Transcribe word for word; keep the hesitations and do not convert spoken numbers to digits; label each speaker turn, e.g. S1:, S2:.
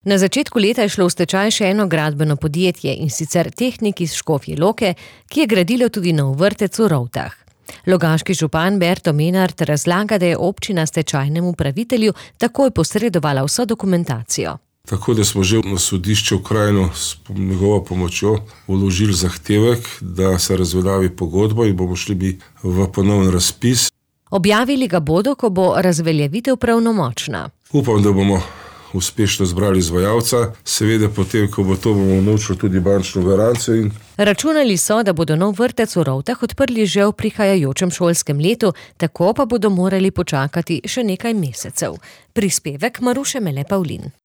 S1: Na začetku leta je šlo v stečaj še eno gradbeno podjetje, in sicer Tehnik iz Škofje Loke, ki je gradilo tudi nov vrtec v Rovtah. Logaški župan Berto Menart razlaga, da je občina stečajnemu upravitelju takoj posredovala vso dokumentacijo.
S2: Tako da smo že na sodišče v Krajino s njegovo pomočjo vložili zahtevek, da se razveljavi pogodbo in bomo šli bi v ponoven razpis.
S1: Objavili ga bodo, ko bo razveljavitev pravnomočna.
S2: Upam, da bomo uspešno zbrali izvajalca, seveda potem, ko bo to, bomo vnovčili tudi bančno garancijo. In...
S1: Računali so, da bodo nov vrtec v Rovtah odprli že v prihajajočem šolskem letu, tako pa bodo morali počakati še nekaj mesecev. Prispevek Maruše Mele Pavlin.